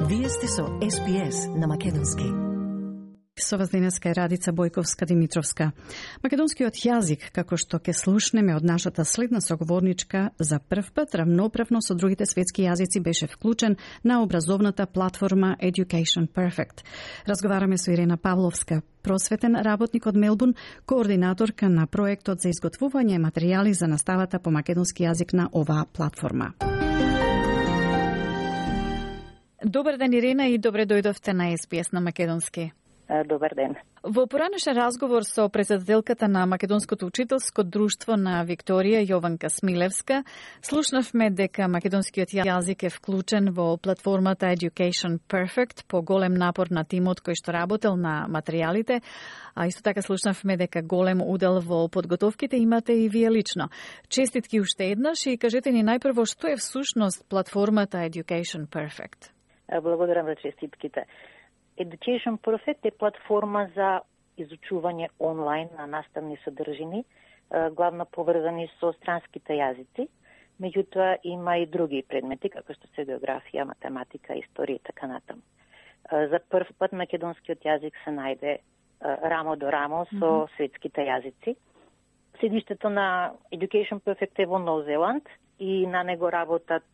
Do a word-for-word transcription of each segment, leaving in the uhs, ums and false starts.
Вие сте со Ес Би Ес на македонски. Со вас денеска е Радица Бојковска-Димитровска. Македонскиот јазик, како што ќе слушнеме од нашата следна соговорничка, за прв пат равноправно со другите светски јазици беше вклучен на образовната платформа Education Perfect. Разговараме со Ирена Павловска, просветен работник од Мелбурн, координаторка на проектот за изготвување материјали за наставата по македонски јазик на оваа платформа. Добар ден, Ирена, и добре дојдовте на Ес Би Ес на македонски. Добар ден. Во поранешен разговор со председателката на Македонското учителско друштво на Викторија, Јованка Смилевска, слушнавме дека македонскиот јазик е вклучен во платформата Education Perfect по голем напор на тимот кој што работел на материјалите, а исто така слушнавме дека голем удел во подготовките имате и вие лично. Честитки уште еднаш и кажете ни најпрво што е всушност платформата Education Perfect. Благодарам за честитките. Education Perfect е платформа за изучување онлайн на наставни содржини, главно поврзани со странските јазици. Меѓутоа има и други предмети, како што се географија, математика, историја и така натаму. За прв пат македонскиот јазик се најде рамо до рамо со mm-hmm. светските јазици. Седиштето на Education Perfect е во Нов Зеланд и на него работат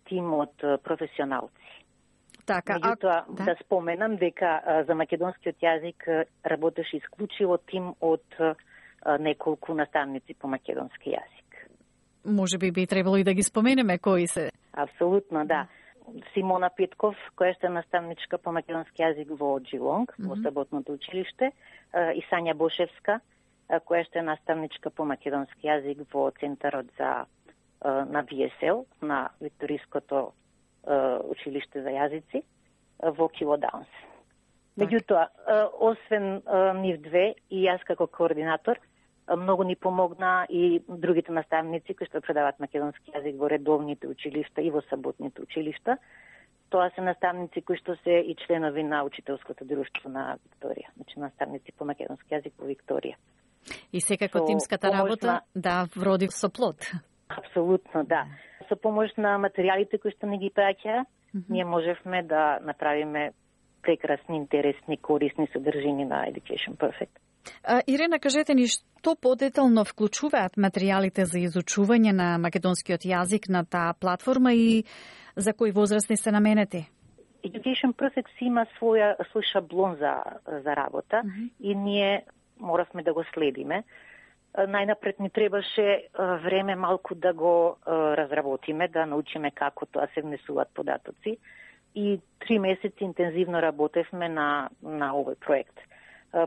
тим од професионалци. Така, Меѓутоа, да. да споменам дека а, за македонскиот јазик работеше исклучиво тим од а, неколку наставници по македонски јазик. Може би би требало и да ги споменеме кои се. Апсолутно, да. Симона Петков, која што е наставничка по македонски јазик во Джилонг, mm-hmm. во Саботното училиште, а, и Сања Бошевска, а, која што е наставничка по македонски јазик во Центарот за а, на Ви Ес Ел, на Викториското училиште за јазици во Кило Даунс. Меѓутоа, освен нив две и јас како координатор, многу ни помогна и другите наставници кои што предаваат македонски јазик во редовните училишта и во саботните училишта. Тоа се наставници кои што се и членови на учителското друштво на Викторија, значи наставници по македонски јазик во Викторија. И секако со тимската работа, на... да, вроди со плод. Апсолутно, да. Со помош на материјалите кои што не ги праќа, mm-hmm. ние можевме да направиме прекрасни, интересни, корисни содржини на Education Perfect. А, Ирена, кажете ни што подетално вклучуваат материјалите за изучување на македонскиот јазик на таа платформа и за кои возрастни се наменети? Education Perfect си има своја свој шаблон за за работа mm-hmm. и ние моравме да го следиме. Најнапред ни требаше време малку да го разработиме, да научиме како тоа се внесуваат податоци и три месеци интензивно работевме на на овој проект.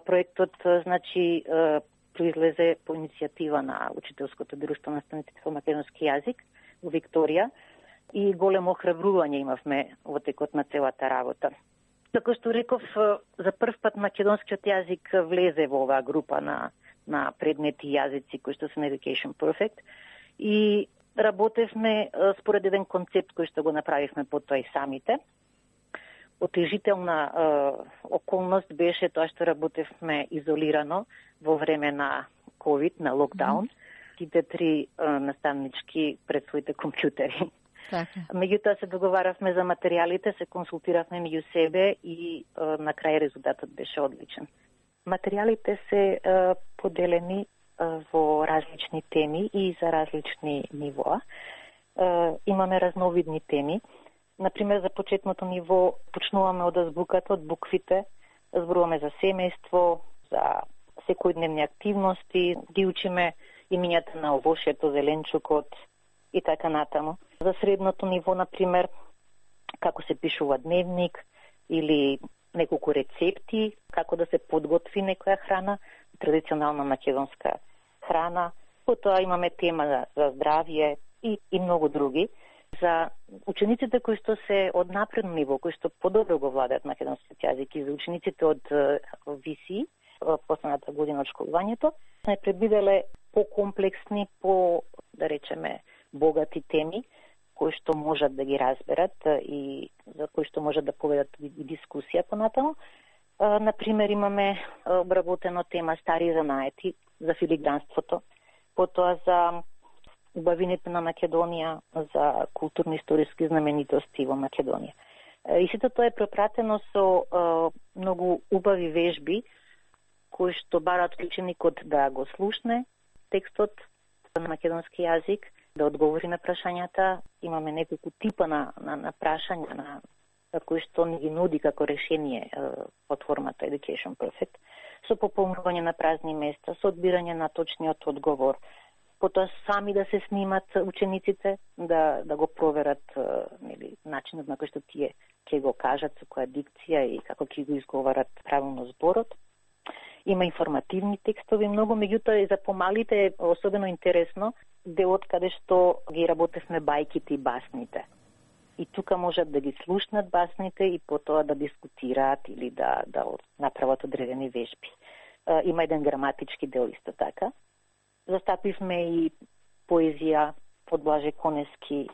Проектот значи произлезе по иницијатива на Учителското друштво на наставниците по македонски јазик во Викторија и големо охрабрување имавме во текот на целата работа. Како што реков, за прв пат македонскиот јазик влезе во оваа група на на предмети јазици кои што се на Education Perfect и работевме според еден концепт кој што го направивме потоа и самите. Отежителна е, околност беше тоа што работевме изолирано во време на ковид, на локдаун, сите mm-hmm. три е, наставнички пред своите компјутери. Така. Меѓутоа се договаравме за материјалите, се консултиравме меѓу себе и е, на крај резултатот беше одличен. Материјалите се е, поделени е, во различни теми и за различни нивоа. Е, имаме разновидни теми. Например, за почетното ниво почнуваме од азбуката, од буквите, зборуваме за семејство, за секојдневни активности, ги учиме имињата на овошјето, зеленчукот и така натаму. За средното ниво, например, како се пишува дневник или неколку рецепти, како да се подготви некоја храна, традиционална македонска храна. Потоа имаме тема за, за здравје и, и многу други. За учениците кои што се од напредно ниво, кои што подобро го владеат македонскиот јазик и за учениците од Ви Си, последната година од школувањето, сме предвиделе по-комплексни, по, да речеме, богати теми, кои што можат да ги разберат и за кои што можат да поведат и дискусија понатаму. Например, имаме обработено тема стари занаети за филигранството, потоа за убавините на Македонија, за културно-историски знаменитости во Македонија. И сето тоа е пропратено со а, многу убави вежби, кои што бараат вклученикот да го слушне текстот на македонски јазик, да одговори на прашањата. Имаме неколку типа на, на, на прашања на, на кои што ни ги нуди како решение платформата Education Perfect, со пополнување на празни места, со одбирање на точниот одговор, потоа сами да се снимат учениците, да, да го проверат нели, начинот на кој што тие ќе го кажат, со која дикција и како ќе го изговарат правилно зборот. Има информативни текстови многу, меѓутоа и за помалите е особено интересно делот каде што ги работевме бајките и басните. И тука можат да ги слушнат басните и потоа да дискутираат или да, да направат одредени вежби. Има еден граматички дел исто така. Застапивме и поезија од Блаже Конески,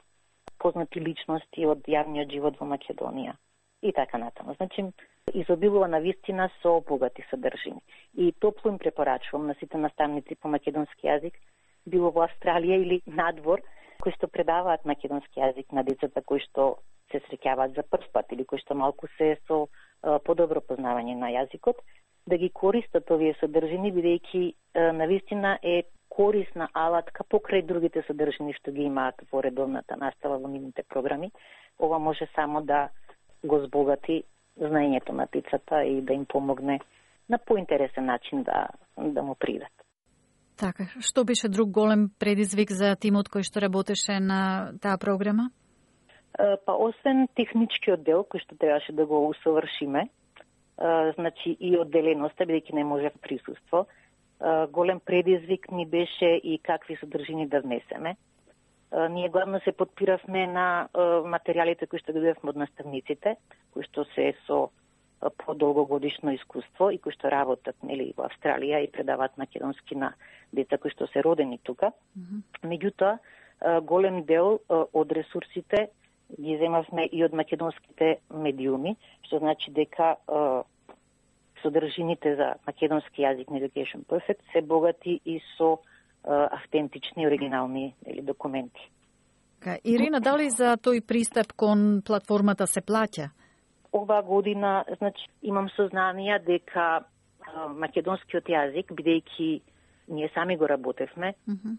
познати личности од јавниот живот во Македонија и така натаму. Значи, изобилува на вистина со богати содржини. И топло им препорачувам на сите наставници по македонски јазик, било во Австралија или надвор, кои што предаваат македонски јазик на децата кои што се среќаваат за прв пат или кои што малку се со а, подобро познавање на јазикот, да ги користат овие содржини, бидејќи навистина е корисна алатка покрај другите содржини што ги имаат во редовната настава во нивните програми. Ова може само да го збогати знаењето на децата и да им помогне на поинтересен начин да, да му придат. Така, што беше друг голем предизвик за тимот кој што работеше на таа програма? Па, освен техничкиот дел, кој што требаше да го усовршиме, значи и одделеноста, бидејќи не може присуство, голем предизвик ни беше и какви содржини да внесеме. Ние главно се подпиравме на материјалите кои што добивавме од наставниците, кои што се со подолгогодишно искуство и кои што работат нели во Австралија и предаваат македонски на деца кои што се родени тука. Mm-hmm. Меѓутоа, голем дел од ресурсите ги земавме и од македонските медиуми, што значи дека содржините за македонски јазик на Education Perfect се богати и со автентични, оригинални или документи. Ирина, дали за тој пристап кон платформата се плаќа? Ова година, значи, имам сознанија дека а, македонскиот јазик, бидејќи ние сами го работевме, mm-hmm.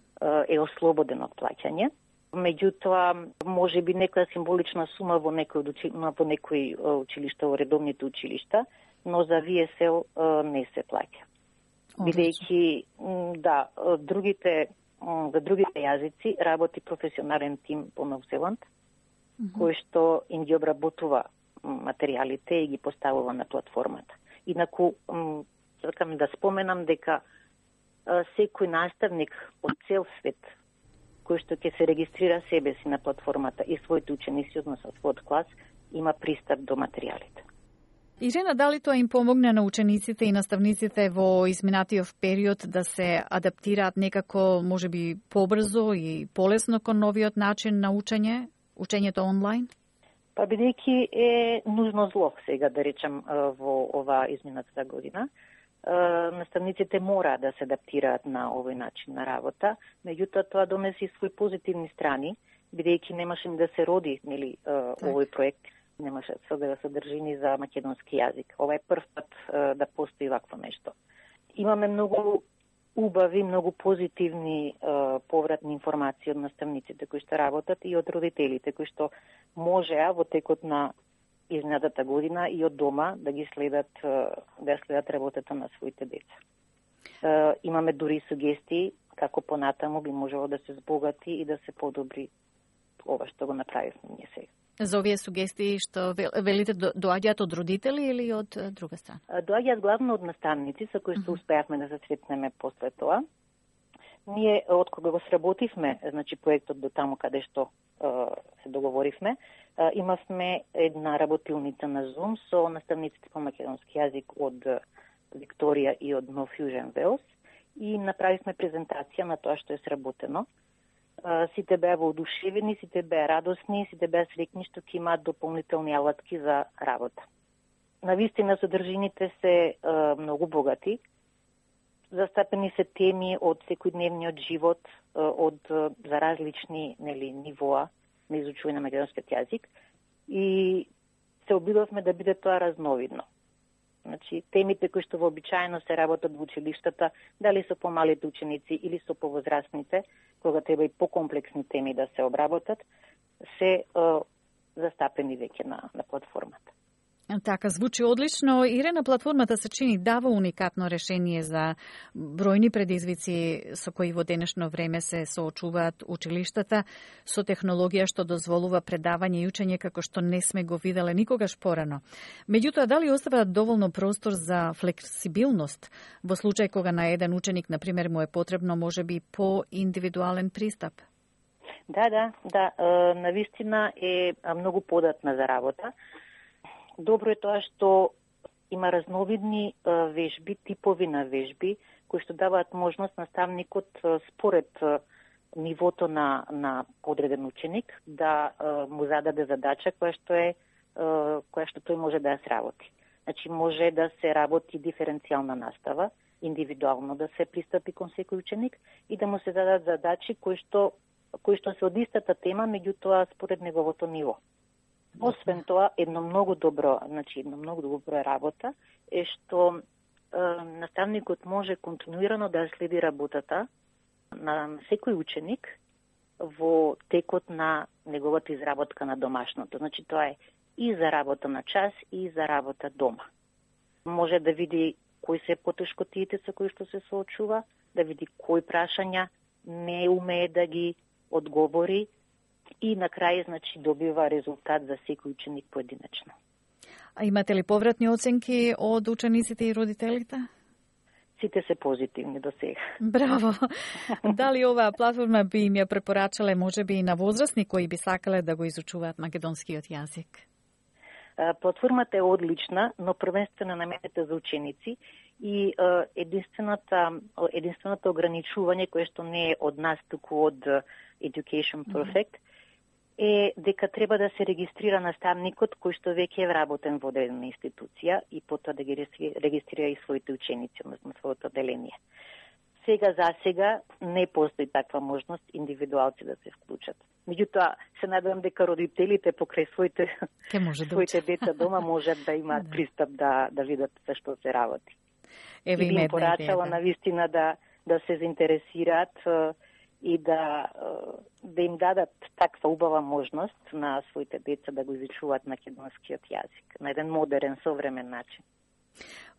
е ослободен од плаќање. Меѓутоа, може би некоја символична сума во некој, учи, во некој училишта, во редовните училишта, но за ви ес ел не се плаќа. Бидејќи, да, другите, за другите јазици работи професионален тим по Нов Зеланд, mm-hmm. кој што им ги обработува материјалите и ги поставува на платформата. Инаку, сакам да споменам дека секој наставник од цел свет кој што ќе се регистрира себе си на платформата и своите ученици, односно својот клас, има пристап до материјалите. Ирина, дали тоа им помогне на учениците и наставниците во изминатиот период да се адаптираат некако, можеби, побрзо и полесно кон новиот начин на учење, учењето онлайн? Па бидејќи е нужно зло сега, да речем, во ова изминатата година, наставниците мора да се адаптираат на овој начин на работа, меѓутоа тоа донеси своји позитивни страни, бидејќи немаше да се роди, нели, овој проект, немаше да содржини за македонски јазик. Ова е прв пат да постои вакво нешто. Имаме многу убави, многу позитивни е, повратни информации од наставниците кои што работат и од родителите кои што можеа во текот на изминатата година и од дома да ги следат да следат работата на своите деца. Е, имаме дури сугестии како понатаму би можело да се збогати и да се подобри ова што го направивме ние сега. За овие сугестии што велите доаѓаат од родители или од друга страна? Доаѓаат главно од наставници со кои што успеавме да се сретнеме после тоа. Ние од кога го сработивме, значи проектот до таму каде што е, се договоривме, е, имавме една работилница на Zoom со наставниците по македонски јазик од Викторија и од No Fusion Wales и направивме презентација на тоа што е сработено. Сите беа воодушевени, сите беа радосни, сите беа среќни што ќе имаат дополнителни алатки за работа. Навистина содржините се е, многу богати. Застапени се теми од секојдневниот живот, е, од за различни нели нивоа на изучување на македонскиот јазик и се се обидовме да биде тоа разновидно. Значи, темите кои што вообичаено се работат во училиштата, дали со помалите ученици или со повозрастните, кога треба и покомплексни теми да се обработат, се е, застапени веќе на, на платформата. Така, звучи одлично. Ирена, платформата се чини дава уникатно решение за бројни предизвици со кои во денешно време се соочуваат училиштата, со технологија што дозволува предавање и учење како што не сме го виделе никогаш порано. Меѓутоа, дали оставаат доволно простор за флексибилност во случај кога на еден ученик, на пример, му е потребно можеби по-индивидуален пристап? Да, да, да. Навистина е многу податна за работа. Добро е тоа што има разновидни вежби, типови на вежби, кои што даваат можност наставникот според нивото на, на одреден ученик да му зададе задача која што е која што тој може да ја сработи. Значи може да се работи диференцијална настава, индивидуално да се пристапи кон секој ученик и да му се зададат задачи кои што кои што се од истата тема, меѓутоа според неговото ниво. Освен тоа, едно многу добро, значи едно многу добро работа е што е, наставникот може континуирано да следи работата на секој ученик во текот на неговата изработка на домашното. Значи тоа е и за работа на час и за работа дома. Може да види кои се потешкотиите со кои што се соочува, да види кои прашања не умее да ги одговори и на крај, значи, добива резултат за секој ученик поединечно. А имате ли повратни оценки од учениците и родителите? Сите се позитивни до сега. Браво! Дали оваа платформа би им ја препорачале можеби и на возрастни кои би сакале да го изучуваат македонскиот јазик? Платформата е одлична, но првенствено наменета за ученици и единствената, единственото ограничување кое што не е од нас, туку од Education Perfect, е дека треба да се регистрира наставникот кој што веќе е вработен во одредена институција и потоа да ги регистрира и своите ученици, односно своето одделение. Сега за сега не постои таква можност индивидуалци да се вклучат. Меѓутоа, се надевам дека родителите покрај своите, да своите деца дома можат да имаат пристап да, да видат за што се работи. Еве и би им порачала на вистина да, да се заинтересираат и да, да им дадат таква убава можност на своите деца да го изучуваат македонскиот јазик на еден модерен, современ начин.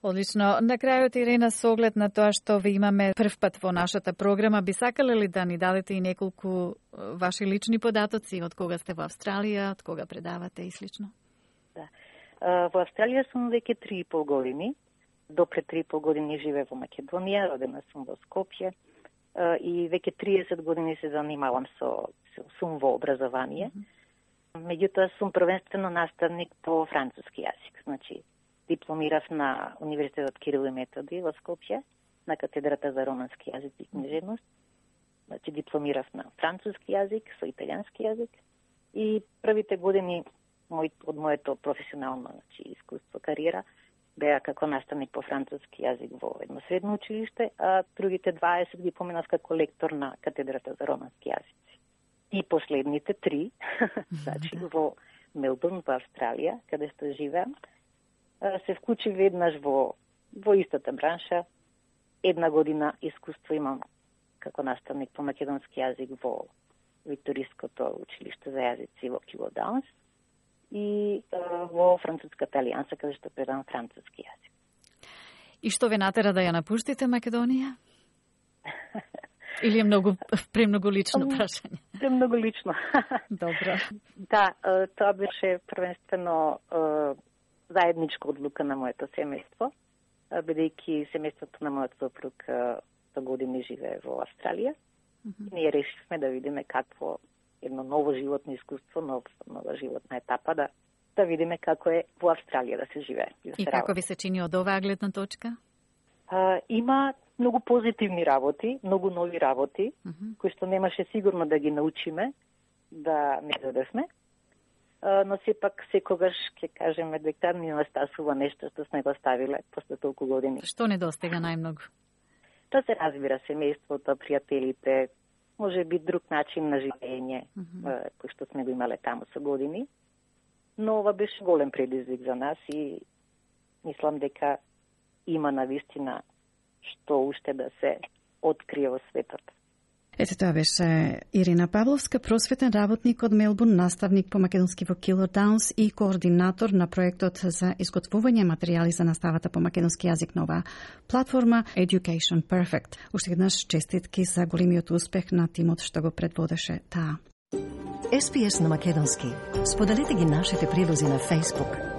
Одлично. На крајот, Ирена, со оглед на тоа што ви имаме прв пат во нашата програма, би сакале ли да ни дадете и неколку ваши лични податоци од кога сте во Австралија, од кога предавате и слично? Да. Во Австралија сум веќе три и пол години. До пред три и пол години живеев во Македонија, родена сум во Скопје и веќе триесет години се занимавам со сум во образование. Меѓутоа сум првенствено наставник по француски јазик. Значи, дипломирав на Универзитетот Кирил и Методи во Скопје, на катедрата за романски јазик и книжевност. Значи, дипломирав на француски јазик со италијански јазик и првите години мој, од моето професионално, значи, искуство, кариера, беа како наставник по француски јазик во едно средно училиште, а другите дваесет ги поминав како лектор на катедрата за романски јазици. И последните три, значи во Мелбурн, во Австралија, каде што живеам, се вклучи веднаш во, во истата бранша. Една година искуство имам како наставник по македонски јазик во Викториското училиште за јазици во Кило Даунс и во Француската алијанса, каде што предавам француски јазик. И што ве натера да ја напуштите Македонија? Или е многу, премногу лично прашање? Премногу лично. Добро. Да, тоа беше првенствено заедничка одлука на моето семејство, бидејќи семејството на мојот сопруг сто години живее во Австралија. Mm-hmm. Ние решивме да видиме какво едно ново животно искуство, нов, нова животна етапа, да, да видиме како е во Австралија да се живее. И, да и се како работи. ви се чини од оваа гледна точка? А, има многу позитивни работи, многу нови работи, mm-hmm. кои што немаше сигурно да ги научиме, да не додевме. Но сепак секогаш ќе кажеме дека ни настасува нешто што сме го ставиле после толку години. Што недостига најмногу? Тоа се разбира семејството, пријателите, може би друг начин на живење, mm-hmm. кој што сме го имале таму со години. но ова беше голем предизвик за нас и мислам дека има навистина што уште да се открие во светот. Ете, тоа беше Ирина Павловска, просветен работник од Мелбурн, наставник по македонски во Килор Даунс и координатор на проектот за изготвување материјали за наставата по македонски јазик на оваа платформа Education Perfect. Уште еднаш честитки за големиот успех на тимот што го предводеше таа. Ес Би Ес на македонски. Споделете ги нашите прилози на Facebook.